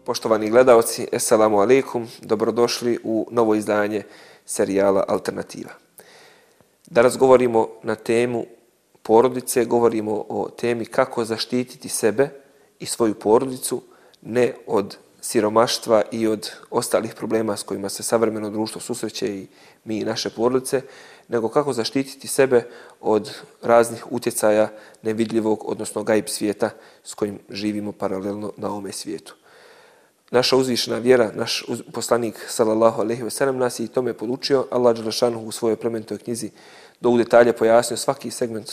Poštovani gledaoci, assalamu alaikum, dobrodošli u novo izdanje serijala Alternativa. Danas govorimo na temu porodice, govorimo o temi kako zaštititi sebe i svoju porodicu, ne od siromaštva i od ostalih problema s kojima se savremeno društvo susreće i mi i naše porodice, nego kako zaštititi sebe od raznih utjecaja nevidljivog, odnosno gajb svijeta s kojim živimo paralelno na ovome svijetu. Naša uzvišena vjera, naš poslanik sallallahu alejhi ve sellem nas je i tome podučio. Allah dželle šanuhu u svojoj plemenitoj knjizi do u detalje pojasnio svaki segment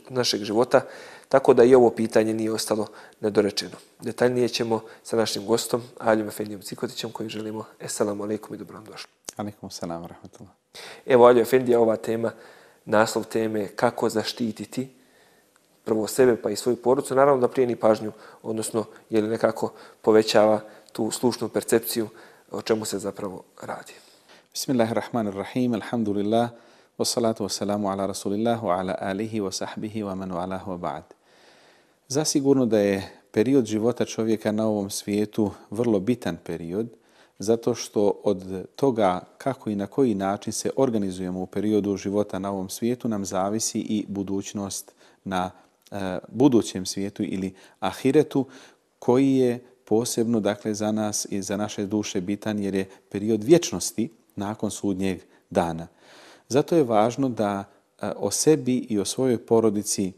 našeg života, tako da i ovo pitanje nije ostalo nedorečeno. Detaljnije ćemo sa našim gostom, Aljom Efendijom Cikotićem, kojim želimo assalamu alejkum i dobro nam došli. Alejkum selam ve rahmetullah. Evo, Aljo Efendija, ova tema, naslov teme kako zaštititi prvo sebe pa i svoju porodicu, naravno da plijeni pažnju, odnosno je li nekako povećava tu slušnu percepciju o čemu se zapravo radi. Bismillahirrahmanirrahim, alhamdulillah, wassalatu wassalamu ala rasulillah, wa ala alihi wa sahbihi wa man walahu wa ba'd. Zasigurno da je period života čovjeka na ovom svijetu vrlo bitan period, zato što od toga kako i na koji način se organizujemo u periodu života na ovom svijetu nam zavisi i budućnost na budućem svijetu ili ahiretu, koji je posebno dakle za nas i za naše duše bitan jer je period vječnosti nakon sudnjeg dana. Zato je važno da o sebi i o svojoj porodici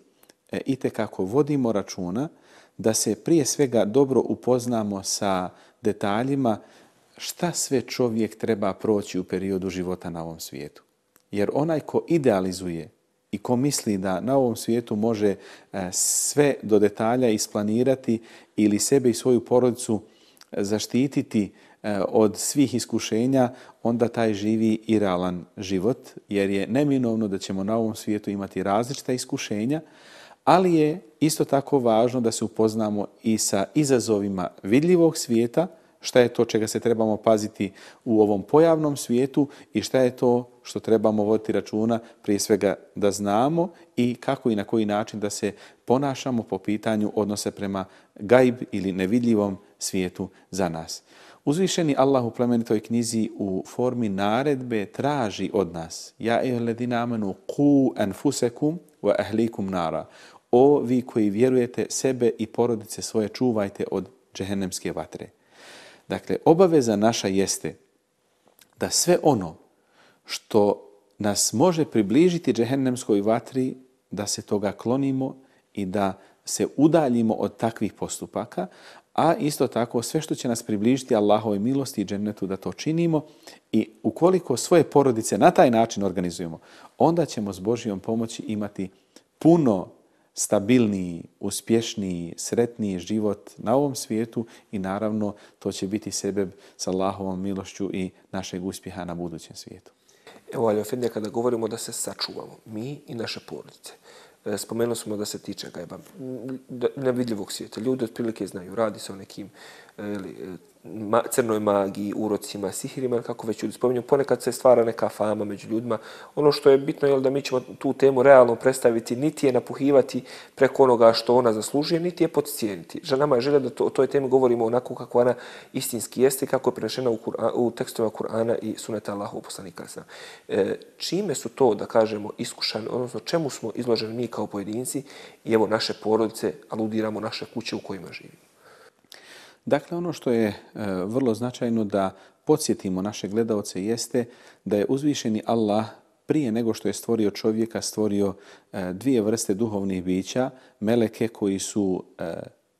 itekako vodimo računa, da se prije svega dobro upoznamo sa detaljima šta sve čovjek treba proći u periodu života na ovom svijetu. Jer onaj ko idealizuje i ko misli da na ovom svijetu može sve do detalja isplanirati ili sebe i svoju porodicu zaštititi od svih iskušenja, onda taj živi irealan život, jer je neminovno da ćemo na ovom svijetu imati različita iskušenja, ali je isto tako važno da se upoznamo i sa izazovima vidljivog svijeta, šta je to čega se trebamo paziti u ovom pojavnom svijetu i šta je to što trebamo voditi računa, prije svega da znamo i kako i na koji način da se ponašamo po pitanju odnose prema gajb ili nevidljivom svijetu za nas. Uzvišeni Allah u plemenitoj knjizi u formi naredbe traži od nas: Ja ejuhalladhina amanu qu anfusakum wa ahlikum nara. O vi koji vjerujete, sebe i porodice svoje čuvajte od džehennemske vatre. Dakle, obaveza naša jeste da sve ono što nas može približiti džehennemskoj vatri, da se toga klonimo i da se udaljimo od takvih postupaka, a isto tako sve što će nas približiti Allahovoj milosti i džennetu da to činimo, i ukoliko svoje porodice na taj način organizujemo, onda ćemo s Božjom pomoći imati puno stabilniji, uspješniji, sretniji život na ovom svijetu i naravno to će biti sebeb sa Allahovom milošću i našeg uspjeha na budućem svijetu. Evo, Aljo Efendija, kada govorimo da se sačuvamo, mi i naše porodice, spomenuli smo da se tiče gajba nevidljivog svijeta. Ljudi otprilike znaju, radi se o nekim crnoj magiji, urocima, sihirima, kako već ljudi spominju. Ponekad se stvara neka fama među ljudima. Ono što je bitno je da mi ćemo tu temu realno predstaviti, niti je napuhivati preko onoga što ona zaslužuje, niti je podcijeniti. Nama je želja da o toj temi govorimo onako kako ona istinski jeste, kako je prenešena u tekstovima Kur'ana i suneta Allahovog poslanika. Čime su to, da kažemo, iskušani, odnosno čemu smo izloženi mi kao pojedinci i evo naše porodice, aludiramo naše kuće u kojima živimo? Dakle, ono što je vrlo značajno da podsjetimo naše gledaoce jeste da je uzvišeni Allah prije nego što je stvorio čovjeka, stvorio dvije vrste duhovnih bića, meleke koji su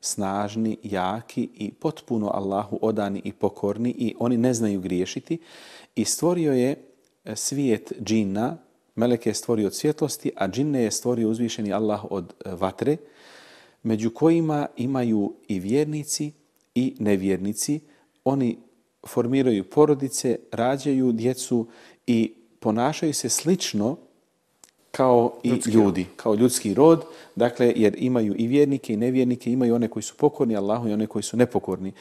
snažni, jaki i potpuno Allahu odani i pokorni i oni ne znaju griješiti, i stvorio je svijet džina, meleke je stvorio od svjetlosti, a džinne je stvorio uzvišeni Allah od vatre, među kojima imaju i vjernici i nevjernici. Oni formiraju porodice, rađaju djecu i ponašaju se slično kao i ljudi, kao ljudski rod, dakle, jer imaju i vjernike i nevjernike, imaju one koji su pokorni Allahu i one koji su nepokorni.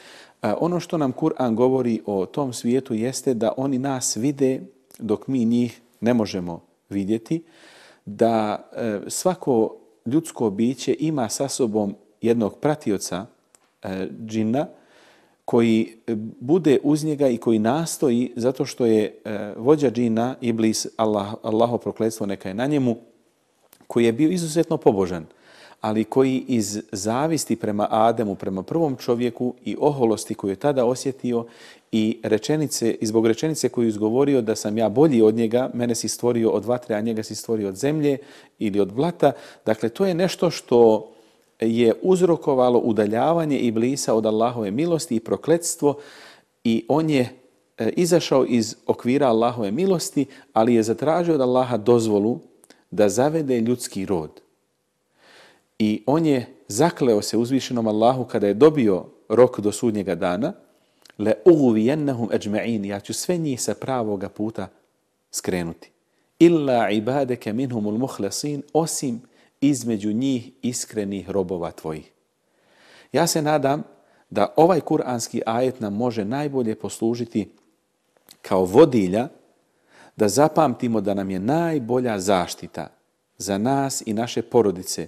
Ono što nam Kur'an govori o tom svijetu jeste da oni nas vide dok mi njih ne možemo vidjeti, da svako ljudsko biće ima sa sobom jednog pratioca džina koji bude uz njega i koji nastoji, zato što je vođa džina, Iblis, Allaho prokletstvo neka je na njemu, koji je bio izuzetno pobožan, ali koji iz zavisti prema Ademu, prema prvom čovjeku i oholosti koju je tada osjetio i zbog rečenice koju je izgovorio da sam ja bolji od njega, mene si stvorio od vatre, a njega si stvorio od zemlje ili od blata. Dakle, to je nešto što je uzrokovalo udaljavanje Iblisa od Allahove milosti i prokletstvo i on je izašao iz okvira Allahove milosti, ali je zatražio od Allaha dozvolu da zavede ljudski rod. I on je zakleo se uzvišenom Allahu kada je dobio rok do sudnjega dana, le ugvijennahum ajma'in, ja ću sve njih sa pravoga puta skrenuti. Illa ibadeke minhumul muhlasin, osim između njih iskrenih robova tvojih. Ja se nadam da ovaj kuranski ajet nam može najbolje poslužiti kao vodilja da zapamtimo da nam je najbolja zaštita za nas i naše porodice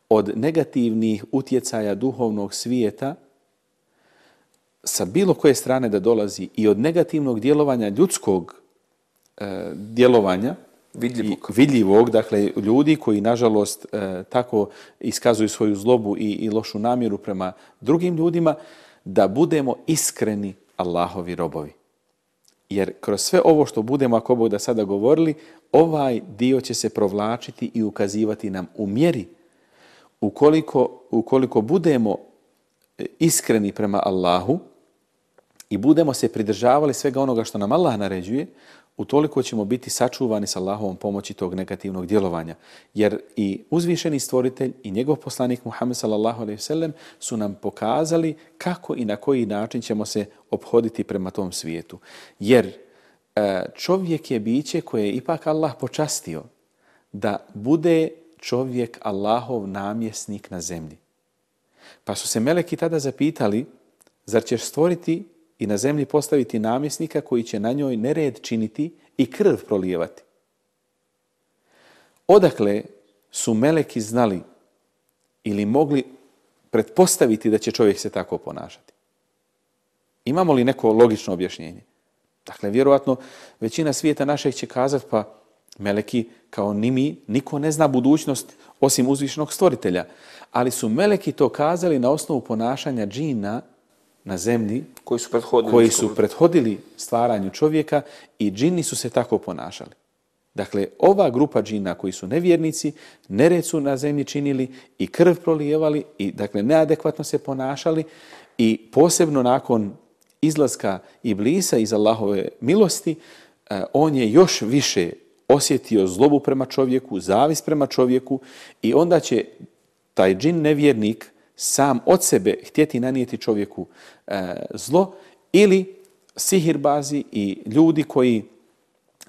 od negativnih utjecaja duhovnog svijeta sa bilo koje strane da dolazi i od negativnog djelovanja ljudskog djelovanja, vidljivog, dakle ljudi koji nažalost tako iskazuju svoju zlobu i lošu namjeru prema drugim ljudima, da budemo iskreni Allahovi robovi. Jer kroz sve ovo što budemo, ako Bog da sada govorili, ovaj dio će se provlačiti i ukazivati nam u mjeri ukoliko budemo iskreni prema Allahu i budemo se pridržavali svega onoga što nam Allah naređuje, utoliko ćemo biti sačuvani sa Allahovom pomoći tog negativnog djelovanja. Jer i uzvišeni stvoritelj i njegov poslanik Muhammed sallallahu alejhi ve sellem su nam pokazali kako i na koji način ćemo se ophoditi prema tom svijetu. Jer čovjek je biće koje je ipak Allah počastio da bude čovjek Allahov namjesnik na zemlji. Pa su se meleki tada zapitali, zar ćeš stvoriti i na zemlji postaviti namjesnika koji će na njoj nered činiti i krv prolijevati? Odakle su meleki znali ili mogli pretpostaviti da će čovjek se tako ponašati? Imamo li neko logično objašnjenje? Dakle, vjerovatno većina svijeta našeg će kazati, pa meleki kao ni mi, niko ne zna budućnost osim uzvišenog stvoritelja. Ali su meleki to kazali na osnovu ponašanja džina na zemlji koji su prethodili stvaranju čovjeka i džini su se tako ponašali. Dakle, ova grupa džina koji su nevjernici, nered su na zemlji činili i krv prolijevali i dakle neadekvatno se ponašali i posebno nakon izlaska Iblisa iz Allahove milosti, on je još više osjetio zlobu prema čovjeku, zavist prema čovjeku i onda će taj džin nevjernik sam od sebe htjeti nanijeti čovjeku zlo ili sihirbazi i ljudi koji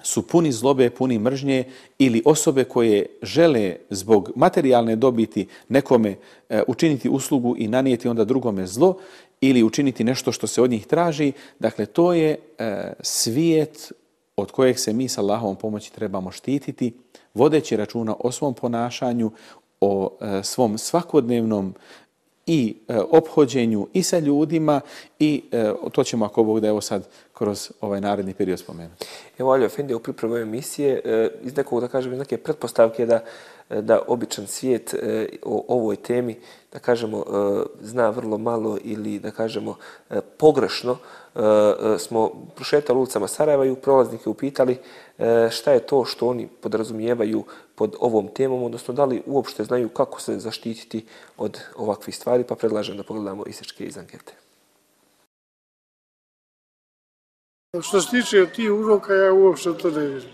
su puni zlobe, puni mržnje ili osobe koje žele zbog materijalne dobiti nekome učiniti uslugu i nanijeti onda drugome zlo ili učiniti nešto što se od njih traži. Dakle, to je svijet od kojeg se mi sa Allahovom pomoći trebamo štititi, vodeći računa o svom ponašanju, o svom svakodnevnom i ophođenju i sa ljudima i to ćemo, ako Bog da, evo sad kroz ovaj naredni period spomenuti. Evo, Alio Efendi, u pripremu emisije iz nekog, da kažem, iz neke pretpostavke da običan svijet o ovoj temi, da kažemo, zna vrlo malo ili, da kažemo, pogrešno, smo prošetali ulicama Sarajeva i prolaznike upitali šta je to što oni podrazumijevaju pod ovom temom, odnosno da li uopšte znaju kako se zaštititi od ovakvih stvari, pa predlažem da pogledamo isječke iz ankete. Što se tiče tih uzroka, ja uopšte to ne vidim.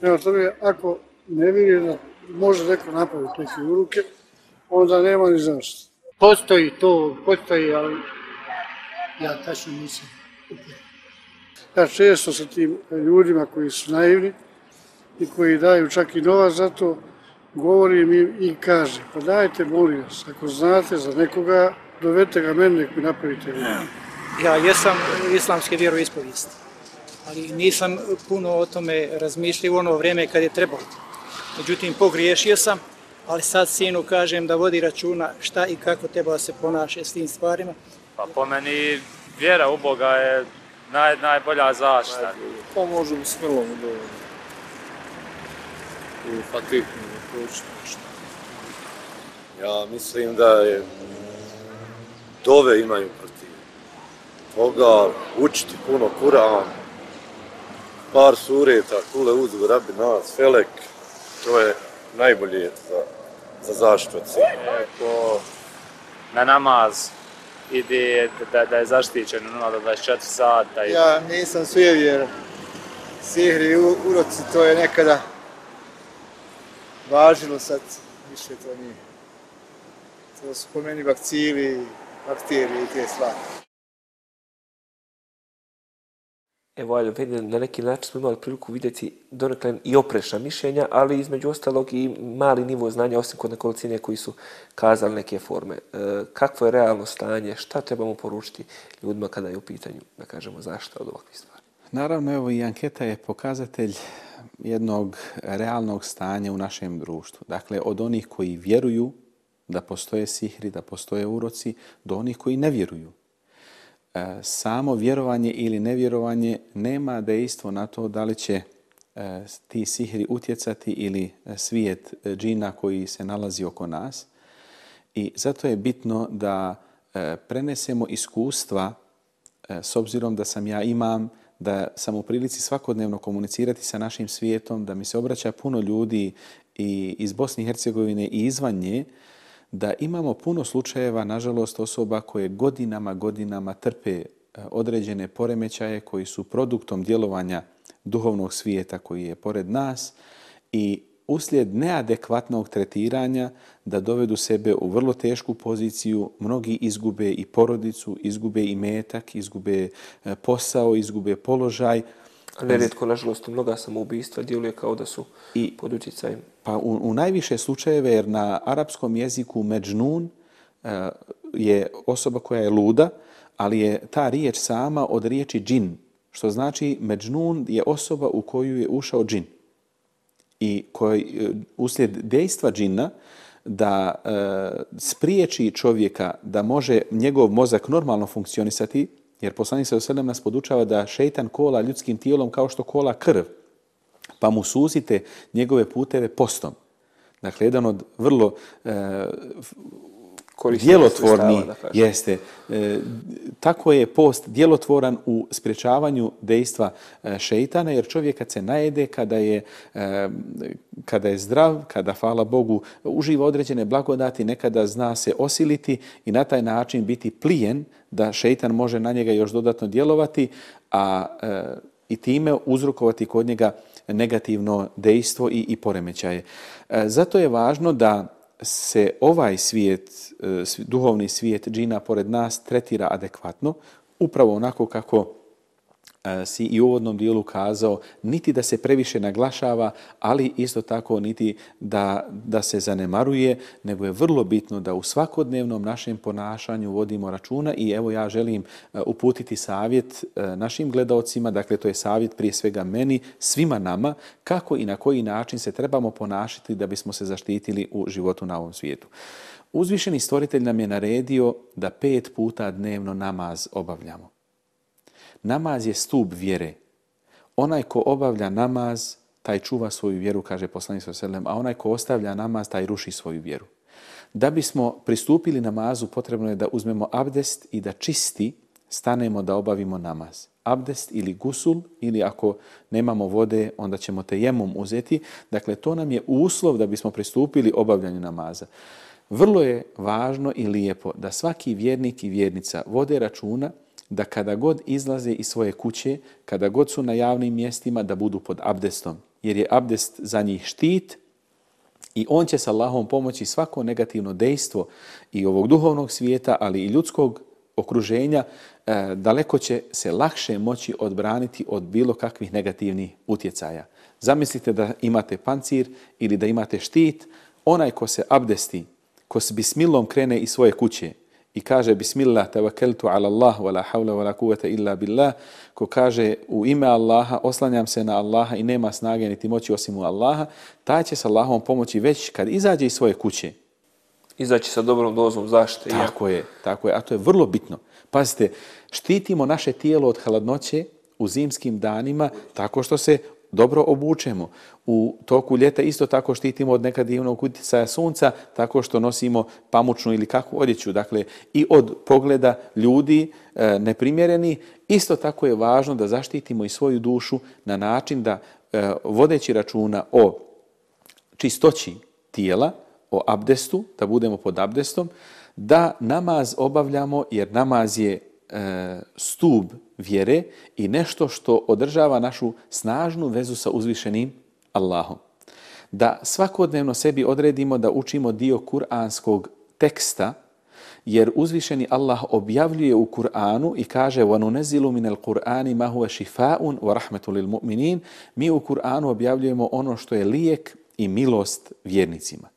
Prema tome, ako ne vidim da može neko napraviti neke uruke, onda nema ni zašto. Postoji, ali ja tačno nisam. Ja često sa tim ljudima koji su naivni i koji daju čak i novac za to, govorim im i kažem, pa dajte, molim vas, ako znate za nekoga, dovedite ga meni, nek mi napravite. Ja jesam islamske vjeroispovijesti, ali nisam puno o tome razmišljao u ono vrijeme kad je trebalo. Međutim, pogriješio sam, ali sad sinu kažem da vodi računa šta i kako treba se ponaša s tim stvarima. Pa po meni vjera u Boga je najbolja zaštita. Pa može bismilom u Fatihu proučiti nešto. Ja mislim da je dove imaju protiv toga, učiti puno Kur'an, par sureta, kule uzgu, rabi nas, felek, to je najbolje za zaštitu od sihra. Ko na namaz ide da je zaštićen 0 do 24 sata. Ja nisam sujevjer. Sihri i uroci, to je nekada važilo, sad više to nije. To su po meni bakcili, bakterije i te stvari. Evo, na neki način smo imali priliku vidjeti donekle i oprečna mišljenja, ali između ostalog i mali nivo znanja, osim kod nekolicine koji su kazali neke forme. Kakvo je realno stanje, šta trebamo poručiti ljudima kada je u pitanju, da kažemo, zaštita od ovakvih stvari? Naravno, evo i anketa je pokazatelj jednog realnog stanja u našem društvu. Dakle, od onih koji vjeruju da postoje sihri, da postoje uroci, do onih koji ne vjeruju. Samo vjerovanje ili nevjerovanje nema dejstvo na to da li će ti sihri utjecati ili svijet džina koji se nalazi oko nas. I zato je bitno da prenesemo iskustva, s obzirom da sam ja imam, da sam u prilici svakodnevno komunicirati sa našim svijetom, da mi se obraća puno ljudi i iz Bosne i Hercegovine i izvan nje, da imamo puno slučajeva, nažalost, osoba koje godinama trpe određene poremećaje koji su produktom djelovanja duhovnog svijeta koji je pored nas i uslijed neadekvatnog tretiranja da dovedu sebe u vrlo tešku poziciju, mnogi izgube i porodicu, izgube i metak, izgube posao, izgube položaj. Nerijetko, nažalost, mnoga samoubistva djeluje kao da su pod utjecajem. Pa u najviše slučajeve, jer na arapskom jeziku međnun je osoba koja je luda, ali je ta riječ sama od riječi džin, što znači međnun je osoba u koju je ušao džin. I koji uslijed dejstva džina da spriječi čovjeka da može njegov mozak normalno funkcionisati, jer poslanik sallallahu alejhi ve sellem nas podučava da šejtan kola ljudskim tijelom kao što kola krv, pa mu suzite njegove puteve postom. Dakle, jedan od vrlo djelotvorni jeste. Tako je post djelotvoran u sprječavanju dejstva šejtana, jer čovjek kad se najede, kada je zdrav, kada, hvala Bogu, uživa određene blagodati, nekada zna se osiliti i na taj način biti plijen da šejtan može na njega još dodatno djelovati, i time uzrokovati kod njega negativno dejstvo i poremećaje. Zato je važno da se ovaj svijet, duhovni svijet džina pored nas tretira adekvatno, upravo onako kako si i u uvodnom dijelu kazao, niti da se previše naglašava, ali isto tako niti da se zanemaruje, nego je vrlo bitno da u svakodnevnom našem ponašanju vodimo računa i evo ja želim uputiti savjet našim gledaocima, dakle to je savjet prije svega meni, svima nama, kako i na koji način se trebamo ponašati da bismo se zaštitili u životu na ovom svijetu. Uzvišeni stvoritelj nam je naredio da 5 puta dnevno namaz obavljamo. Namaz je stup vjere. Onaj ko obavlja namaz, taj čuva svoju vjeru, kaže poslanik sallallahu alejhi ve sellem, a onaj ko ostavlja namaz, taj ruši svoju vjeru. Da bismo pristupili namazu, potrebno je da uzmemo abdest i da čisti stanemo da obavimo namaz. Abdest ili gusul, ili ako nemamo vode, onda ćemo tejemum uzeti. Dakle, to nam je uslov da bismo pristupili obavljanju namaza. Vrlo je važno i lijepo da svaki vjernik i vjernica vode računa da kada god izlaze iz svoje kuće, kada god su na javnim mjestima, da budu pod abdestom. Jer je abdest za njih štit i on će sa Allahom pomoći svako negativno dejstvo i ovog duhovnog svijeta, ali i ljudskog okruženja, daleko će se lakše moći odbraniti od bilo kakvih negativnih utjecaja. Zamislite da imate pancir ili da imate štit, onaj ko se abdesti, ko s bismilom krene iz svoje kuće i kaže bismillah tawakkaltu ala Allah wala hawla wala quwwata illa billah, ko kaže u ime Allaha, oslanjam se na Allaha i nema snage niti moći osim u Allaha, taj će sa Allahom pomoći već kad izađe iz svoje kuće. Izaći sa dobrom dozom zaštite. Tako je, a to je vrlo bitno. Pazite, štitimo naše tijelo od hladnoće u zimskim danima tako što se dobro obučemo. U toku ljeta isto tako štitimo od negativnog utjecaja sunca tako što nosimo pamučnu ili kakvu odjeću. Dakle, i od pogleda ljudi neprimjereni. Isto tako je važno da zaštitimo i svoju dušu na način da vodeći računa o čistoći tijela, o abdestu, da budemo pod abdestom, da namaz obavljamo jer namaz je stub vjere i nešto što održava našu snažnu vezu sa uzvišenim Allahom. Da svakodnevno sebi odredimo da učimo dio kuranskog teksta, jer uzvišeni Allah objavljuje u Kur'anu i kaže وَنُنَزِّلُ مِنَ الْقُرْآنِ مَا هُوَ شِفَاءٌ وَرَحْمَةٌ لِلْمُؤْمِنِينَ. Mi u Kur'anu objavljujemo ono što je lijek i milost vjernicima.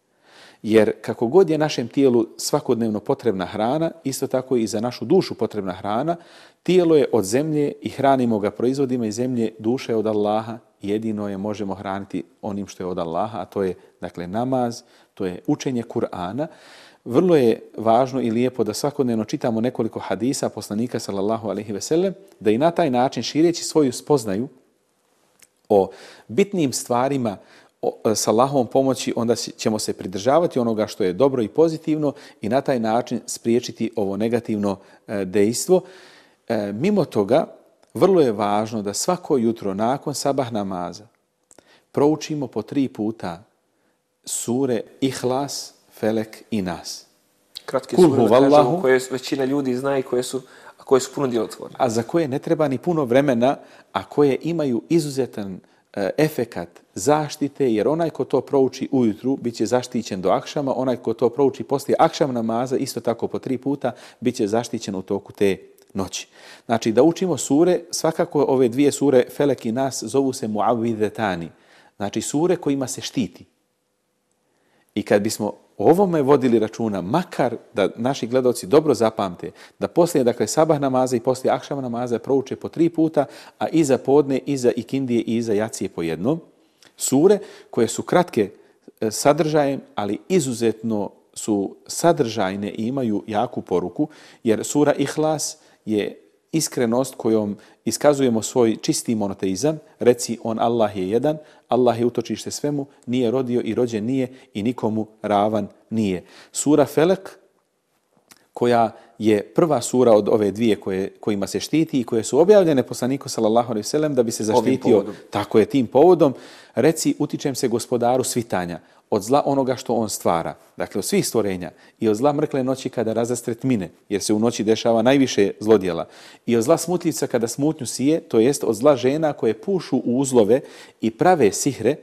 Jer kako god je našem tijelu svakodnevno potrebna hrana, isto tako i za našu dušu potrebna hrana, tijelo je od zemlje i hranimo ga proizvodima iz zemlje, duša je od Allaha, jedino je možemo hraniti onim što je od Allaha, a to je dakle namaz, to je učenje Kur'ana. Vrlo je važno i lijepo da svakodnevno čitamo nekoliko hadisa poslanika sallallahu alejhi ve sellem, da i na taj način šireći svoju spoznaju o bitnim stvarima s Allahovom pomoći, onda ćemo se pridržavati onoga što je dobro i pozitivno i na taj način spriječiti ovo negativno dejstvo. Mimo toga, vrlo je važno da svako jutro nakon sabah namaza proučimo po 3 puta sure Ihlas, Felek i Nas. Kratke sure, da kažemo, koje većina ljudi zna i koje su puno djelotvorne. A za koje ne treba ni puno vremena, a koje imaju izuzetan efekat zaštite, jer onaj ko to prouči ujutru bit će zaštićen do akšama, onaj ko to prouči poslije akšam namaza, isto tako po 3 puta, bit će zaštićen u toku te noći. Znači da učimo sure, svakako ove 2 sure Felek i Nas zovu se muavvidetani, znači sure kojima se štiti. I kad bismo o ovome vodili računa, makar da naši gledaoci dobro zapamte, da poslije dakle sabah namaza i poslije akšam namaza prouče po 3 puta, a iza podne, iza ikindije i iza jacije po jednom, sure koje su kratke sadržajem, ali izuzetno su sadržajne i imaju jaku poruku, jer sura Ihlas je iskrenost kojom iskazujemo svoj čisti monoteizam, reci on Allah je jedan, Allah je utočište svemu, nije rodio i rođen nije i nikomu ravan nije. Sura Felek, koja je prva sura od ove 2 kojima se štiti i koje su objavljene poslaniku sallallahu alejhi ve sellem da bi se zaštitio tako je tim povodom, reci utičem se gospodaru svitanja od zla onoga što on stvara, dakle od svih stvorenja, i od zla mrkle noći kada razastre tmine, jer se u noći dešava najviše zlodjela, i od zla smutljivca kada smutnju sije, to jest od zla žena koje pušu u uzlove i prave sihre,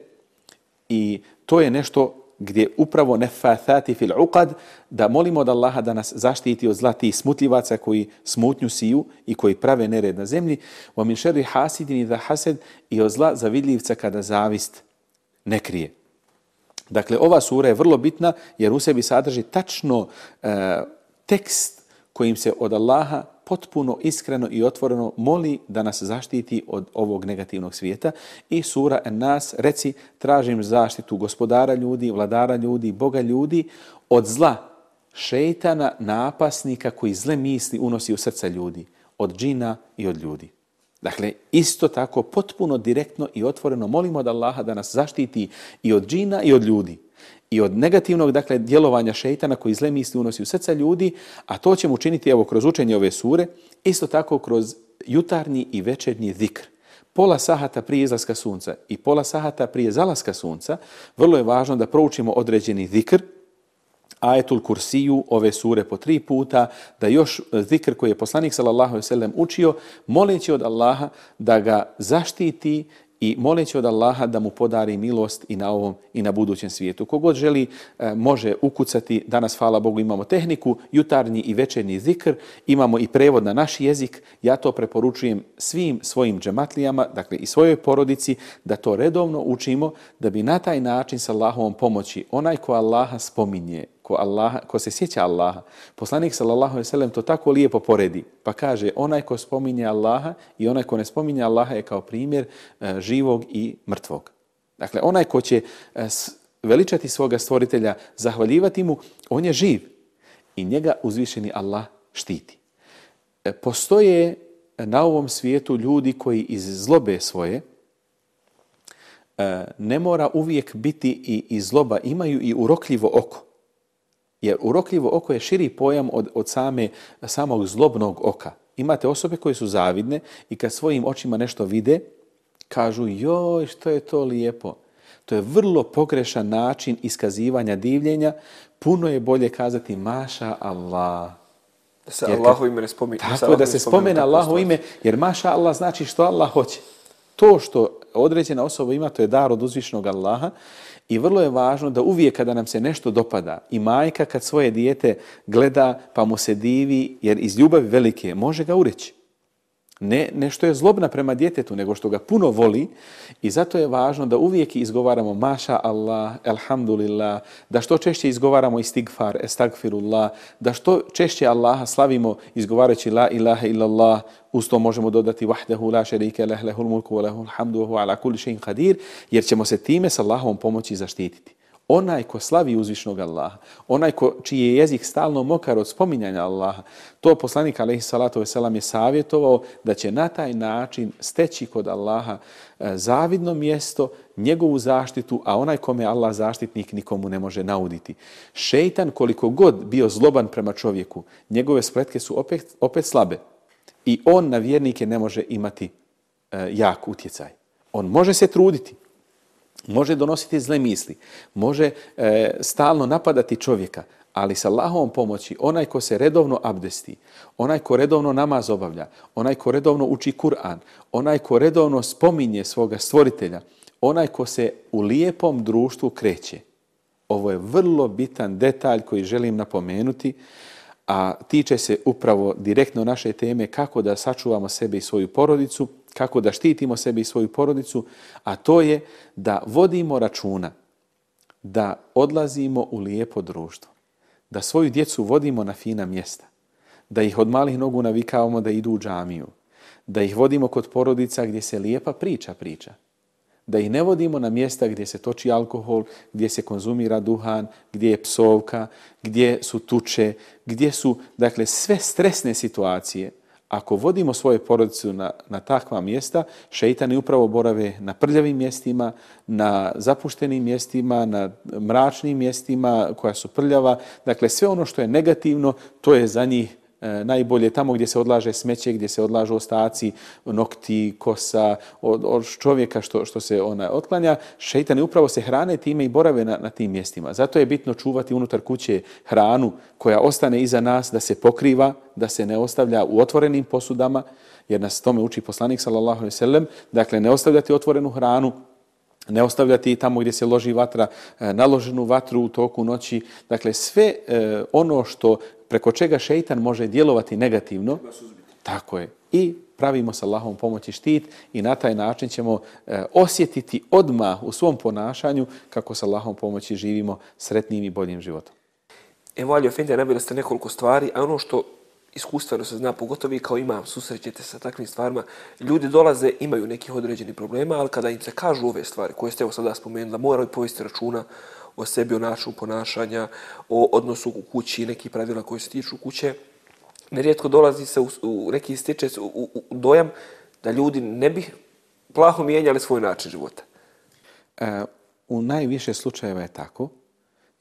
i to je nešto gdje upravo nefathati fil uqad, da molimo od Allaha da nas zaštiti od zla tih smutljivaca koji smutnju siju i koji prave nered na zemlji, wa min sharri hasidin idha hasad, i od zla zavidljivca kada zavist ne krije. Dakle, ova sura je vrlo bitna jer u sebi sadrži tačno tekst kojim se od Allaha potpuno, iskreno i otvoreno moli da nas zaštiti od ovog negativnog svijeta. I sura En-Nas, reci, tražim zaštitu gospodara ljudi, vladara ljudi, Boga ljudi, od zla šejtana, napasnika koji zle misli unosi u srca ljudi, od džina i od ljudi. Dakle, isto tako potpuno direktno i otvoreno molimo od Allaha da nas zaštiti i od džina i od ljudi. I od negativnog, dakle, djelovanja šejtana koji zle misli unosi u srca ljudi, a to ćemo učiniti evo kroz učenje ove sure, isto tako kroz jutarnji i večernji zikr. Pola sahata prije izlaska sunca i pola sahata prije zalaska sunca, vrlo je važno da proučimo određeni zikr, ajetul kursiju, ove sure po 3 puta, da još zikr koji je poslanik sallallahu alejhi ve sellem učio, moleći od Allaha da ga zaštiti i moleći od Allaha da mu podari milost i na ovom i na budućem svijetu. Kogod želi može ukucati, danas hvala Bogu imamo tehniku, jutarnji i večernji zikr, imamo i prevod na naš jezik, ja to preporučujem svim svojim džematlijama, dakle i svojoj porodici, da to redovno učimo, da bi na taj način sa Allahovom pomoći, onaj ko Allaha spominje, ko se sjeća Allaha, poslanik sallallahu alejhi ve sellem to tako lijepo poredi, pa kaže onaj ko spominje Allaha i onaj ko ne spominje Allaha je kao primjer živog i mrtvog. Dakle, onaj ko će veličati svoga stvoritelja, zahvaljivati mu, on je živ i njega uzvišeni Allah štiti. Postoje na ovom svijetu ljudi koji iz zlobe svoje, ne mora uvijek biti i zloba, imaju i urokljivo oko. Jer urokljivo oko je širi pojam od samog zlobnog oka. Imate osobe koje su zavidne i kad svojim očima nešto vide, kažu joj što je to lijepo. To je vrlo pogrešan način iskazivanja divljenja. Puno je bolje kazati maša Allah. Da se Allahovo ime ne spomene. Tako da se spomene Allahovo ime, jer maša Allah znači što Allah hoće. To što određena osoba ima, to je dar od uzvišenog Allaha i vrlo je važno da uvijek kada nam se nešto dopada i majka kad svoje dijete gleda pa mu se divi, jer iz ljubavi velike može ga ureći. Ne što je zlobna prema djetetu, nego što ga puno voli i zato je važno da uvijek izgovaramo maša Allah, elhamdulillah, da što češće izgovaramo istigfar, estagfirullah, da što češće Allaha slavimo izgovarajući la ilaha illallah, uz to možemo dodati wahdahu la sharika lah lahul mulku wa lahul hamdu wa huwa ala kulli shay'in qadir, jer ćemo se time s Allahovom pomoći zaštititi. Onaj ko slavi uzvišnog Allaha, onaj čiji je jezik stalno mokar od spominjanja Allaha, to poslanik alejhi salatu vesselam je savjetovao da će na taj način steći kod Allaha zavidno mjesto, njegovu zaštitu, a onaj kome je Allah zaštitnik nikomu ne može nauditi. Šejtan koliko god bio zloban prema čovjeku, njegove spletke su opet slabe i on na vjernike ne može imati jak utjecaj. On može se truditi, može donositi zle misli, može stalno napadati čovjeka, ali sa Allahovom pomoći onaj ko se redovno abdesti, onaj ko redovno namaz obavlja, onaj ko redovno uči Kur'an, onaj ko redovno spominje svoga stvoritelja, onaj ko se u lijepom društvu kreće. Ovo je vrlo bitan detalj koji želim napomenuti, a tiče se upravo direktno naše teme kako da sačuvamo sebe i svoju porodicu, kako da štitimo sebe i svoju porodicu, a to je da vodimo računa, da odlazimo u lijepo društvo, da svoju djecu vodimo na fina mjesta, da ih od malih nogu navikavamo da idu u džamiju, da ih vodimo kod porodica gdje se lijepa priča, da ih ne vodimo na mjesta gdje se toči alkohol, gdje se konzumira duhan, gdje je psovka, gdje su tuče, gdje su, dakle, sve stresne situacije. Ako vodimo svoje porodicu na takva mjesta, šejtani upravo borave na prljavim mjestima, na zapuštenim mjestima, na mračnim mjestima koja su prljava. Dakle, sve ono što je negativno, to je za njih najbolje tamo gdje se odlaže smeće, gdje se odlažu ostaci, nokti, kosa, od čovjeka što se otklanja. Šejtani upravo se hrane time i borave na tim mjestima. Zato je bitno čuvati unutar kuće hranu koja ostane iza nas, da se pokriva, da se ne ostavlja u otvorenim posudama, jer nas tome uči poslanik sallallahu alejhi ve sellem, dakle ne ostavljati otvorenu hranu, ne ostavljati tamo gdje se loži vatra, naloženu vatru u toku noći. Dakle, sve ono što preko čega šejtan može djelovati negativno, tako je. I pravimo sa Allahovom pomoći štit i na taj način ćemo osjetiti odmah u svom ponašanju kako sa Allahovom pomoći živimo sretnim i boljim životom. Evo, Ali Efendija, naveli ste nekoliko stvari, a ono što iskustveno se zna, pogotovo vi kao imam, susrećete sa takvim stvarima, ljudi dolaze, imaju nekih određenih problema, ali kada im se kažu ove stvari koje ste evo sada spomenuli, da moraju povesti računa o sebi, o načinu ponašanja, o odnosu u kući, neki pravila koji se tiču kuće, nerijetko dolazi se u neki stiče u dojam da ljudi ne bi plaho mijenjali svoj način života. U najviše slučajeva je tako,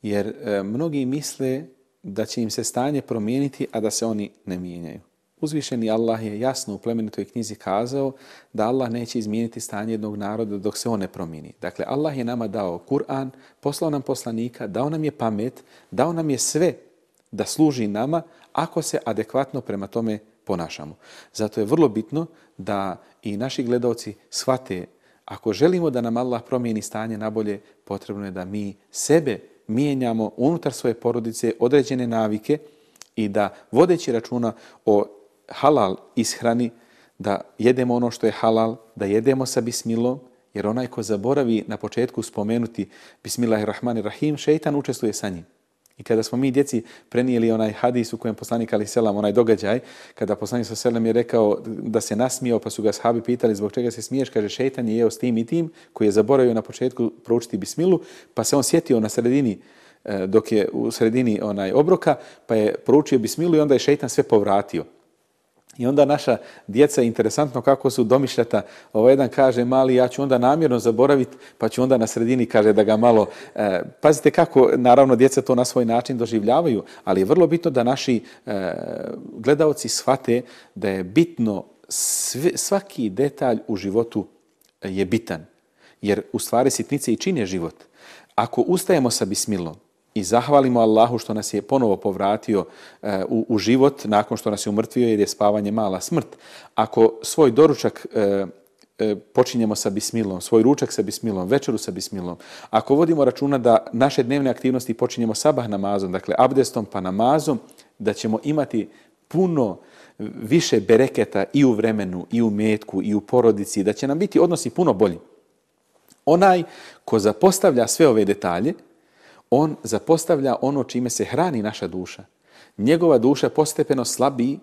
jer mnogi misle da će im se stanje promijeniti, a da se oni ne mijenjaju. Uzvišeni Allah je jasno u plemenitoj knjizi kazao da Allah neće izmijeniti stanje jednog naroda dok se on ne promijeni. Dakle, Allah je nama dao Kur'an, poslao nam poslanika, dao nam je pamet, dao nam je sve da služi nama ako se adekvatno prema tome ponašamo. Zato je vrlo bitno da i naši gledalci shvate, ako želimo da nam Allah promijeni stanje nabolje, potrebno je da mi sebe mijenjamo unutar svoje porodice određene navike i da vodeći računa o halal ishrani, da jedemo ono što je halal, da jedemo sa bismilom, jer onaj ko zaboravi na početku spomenuti Bismillahirrahmanirrahim, šejtan učestvuje sa njim. I kada smo mi djeci prenijeli onaj hadis u kojem poslanik alejhi selam, onaj događaj, kada poslanik selam je rekao da se nasmijao, pa su ga ashabi pitali zbog čega se smiješ, kaže šejtan je jeo s tim i tim, koji je zaboravio na početku proučiti bismilu, pa se on sjetio na sredini, dok je u sredini onaj obroka, pa je proučio bismilu i onda je šejtan sve povratio. I onda naša djeca, interesantno kako su domišljata, jedan kaže mali, ja ću onda namjerno zaboraviti, pa ću onda na sredini, kaže da ga malo... Pazite kako, naravno, djeca to na svoj način doživljavaju, ali je vrlo bitno da naši gledaoci shvate da je bitno, svaki detalj u životu je bitan, jer u stvari sitnice i čine život. Ako ustajemo sa bismilom, i zahvalimo Allahu što nas je ponovo povratio u život nakon što nas je umrtvio jer je spavanje mala smrt. Ako svoj doručak počinjemo sa bismilom, svoj ručak sa bismilom, večeru sa bismilom, ako vodimo računa da naše dnevne aktivnosti počinjemo sabah namazom, dakle abdestom pa namazom, da ćemo imati puno više bereketa i u vremenu, i u metku, i u porodici, da će nam biti odnosi puno bolji. Onaj ko zapostavlja sve ove detalje, on zapostavlja ono čime se hrani naša duša. Njegova duša postepeno slabi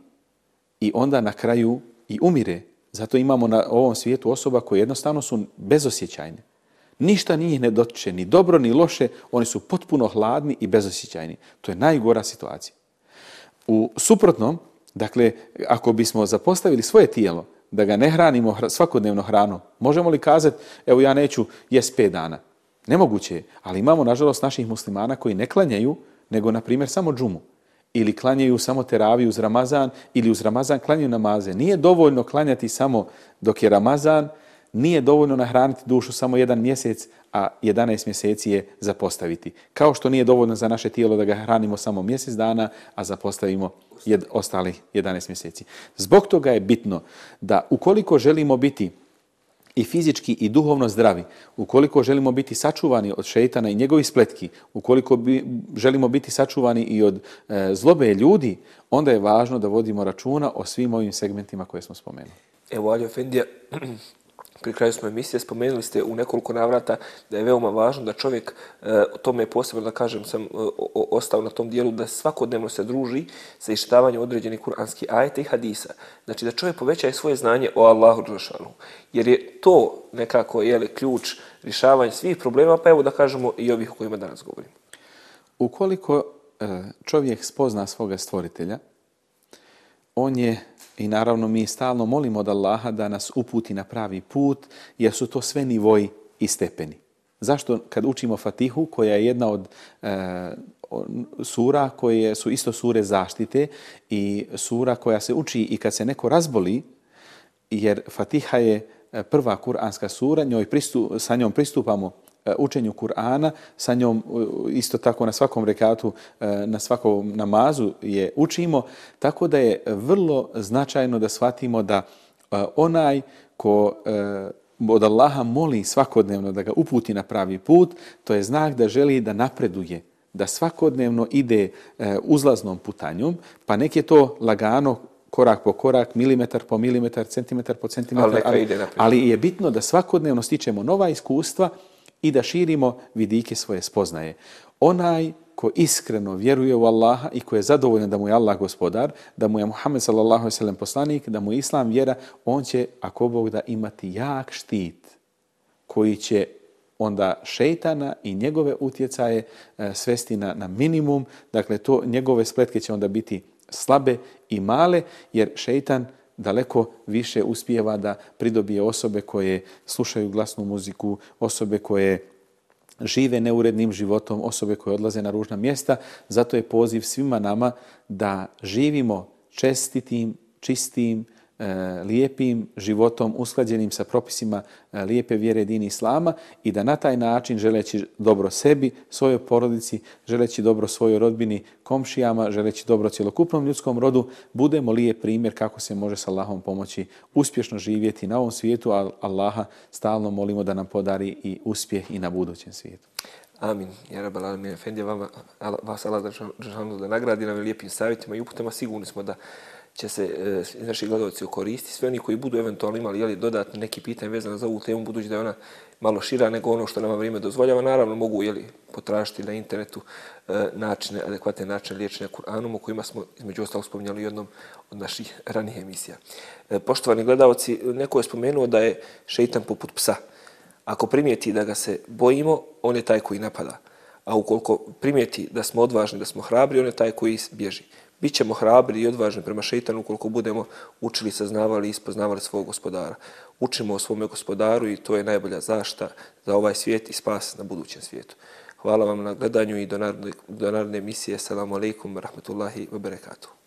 i onda na kraju i umire. Zato imamo na ovom svijetu osoba koje jednostavno su bezosjećajne. Ništa njih ne dotiče, ni dobro, ni loše, oni su potpuno hladni i bezosjećajni. To je najgora situacija. U suprotnom, dakle, ako bismo zapostavili svoje tijelo, da ga ne hranimo svakodnevno hranom, možemo li kazati, evo ja neću jest 5 dana? Nemoguće je, ali imamo nažalost naših muslimana koji ne klanjaju, nego na primjer samo džumu. Ili klanjaju samo teraviju uz Ramazan, ili uz Ramazan klanjaju namaze. Nije dovoljno klanjati samo dok je Ramazan, nije dovoljno nahraniti dušu samo 1 mjesec, a 11 mjeseci je zapostaviti. Kao što nije dovoljno za naše tijelo da ga hranimo samo mjesec dana, a zapostavimo ostalih 11 mjeseci. Zbog toga je bitno da ukoliko želimo biti i fizički i duhovno zdravi, ukoliko želimo biti sačuvani od šejtana i njegovih spletki, ukoliko želimo biti sačuvani i od zlobe ljudi, onda je važno da vodimo računa o svim ovim segmentima koje smo spomenuli. Evo, Alija Efendija, pri kraju smo emisije, spomenuli ste u nekoliko navrata da je veoma važno da čovjek, tome je posebno da kažem, sam ostao na tom dijelu, da svakodnevno se druži sa iščitavanjem određenih kuranskih ajeta i hadisa. Znači da čovjek povećaje svoje znanje o Allahu dželešanu. Jer je to nekako ključ rješavanja svih problema, pa evo da kažemo i ovih o kojima danas govorimo. Ukoliko čovjek spozna svoga stvoritelja, on je, i naravno mi stalno molimo od Allaha da nas uputi na pravi put, jer su to sve nivoji i stepeni. Zašto kad učimo Fatihu, koja je jedna od sura koje su isto sure zaštite i sura koja se uči i kad se neko razboli, jer Fatiha je prva kuranska sura, sa njom pristupamo učenju Kur'ana, sa njom isto tako na svakom rekatu, na svakom namazu je učimo, tako da je vrlo značajno da shvatimo da onaj ko od Allaha moli svakodnevno da ga uputi na pravi put, to je znak da želi da napreduje, da svakodnevno ide uzlaznom putanjom, pa nek je to lagano, korak po korak, milimetar po milimetar, centimetar po centimetar, ali je bitno da svakodnevno stičemo nova iskustva i da širimo vidike svoje spoznaje. Onaj ko iskreno vjeruje u Allaha i ko je zadovoljan da mu je Allah gospodar, da mu je Muhammed sallallahu alejhi ve sellem poslanik, da mu je Islam vjera, on će, ako Bog da, imati jak štit koji će onda šejtana i njegove utjecaje svesti na minimum. Dakle, njegove spletke će onda biti slabe i male, jer šejtan daleko više uspijeva da pridobije osobe koje slušaju glasnu muziku, osobe koje žive neurednim životom, osobe koje odlaze na ružna mjesta. Zato je poziv svima nama da živimo čestitim, čistim, lijepim životom, usklađenim sa propisima lijepe vjere dini Islama i da na taj način, želeći dobro sebi, svojoj porodici, želeći dobro svojoj rodbini, komšijama, želeći dobro cjelokupnom ljudskom rodu, budemo lijep primjer kako se može s Allahom pomoći uspješno živjeti na ovom svijetu, a Allaha stalno molimo da nam podari i uspjeh i na budućem svijetu. Amin. Ja Rabbal Alamin. Efendija, vas Allah da nagradi nam lijepim savjetima i uputama. Sigurni smo da će se naši gledalci koristiti. Sve oni koji budu eventualno imali dodatne neki pitanje vezano za ovu temu, budući da je ona malo šira nego ono što nama vrijeme dozvoljava, naravno mogu potražiti na internetu adekvatne načine liječenja Kur'anom, o kojima smo između ostalog spominjali u jednom od naših ranijih emisija. Poštovani gledalci, neko je spomenuo da je šeitan poput psa. Ako primijeti da ga se bojimo, on je taj koji napada. A ukoliko primijeti da smo odvažni, da smo hrabri, on je taj koji bježi. Bićemo hrabri i odvažni prema šeitanu ukoliko budemo učili, saznavali i ispoznavali svog gospodara. Učimo o svome gospodaru i to je najbolja zaštita za ovaj svijet i spas na budućem svijetu. Hvala vam na gledanju i do naredne emisije. Assalamu alaikum wa rahmatullahi wa barakatuh.